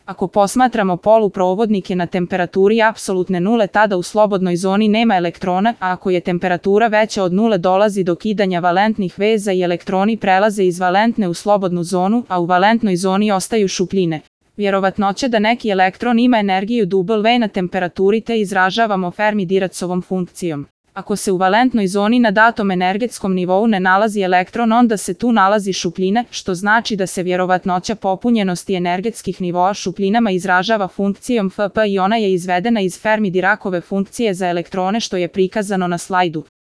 Ako posmatramo poluprovodnike na temperaturi apsolutne nule, tada u slobodnoj zoni nema elektrona, a ako je temperatura veća od nule dolazi do kidanja valentnih veza i elektroni prelaze iz valentne u slobodnu zonu, a u valentnoj zoni ostaju šupljine. Vjerovatnoća da neki elektron ima energiju W na temperaturi T izražavamo Fermi-Diracovom funkcijom. Ako se u valentnoj zoni na datom energetskom nivou ne nalazi elektron, onda se tu nalazi šupljina, što znači da se vjerovatnoća popunjenosti energetskih nivoa šupljinama izražava funkcijom Fp i ona je izvedena iz Fermi-Diracove funkcije za elektrone što je prikazano na slajdu.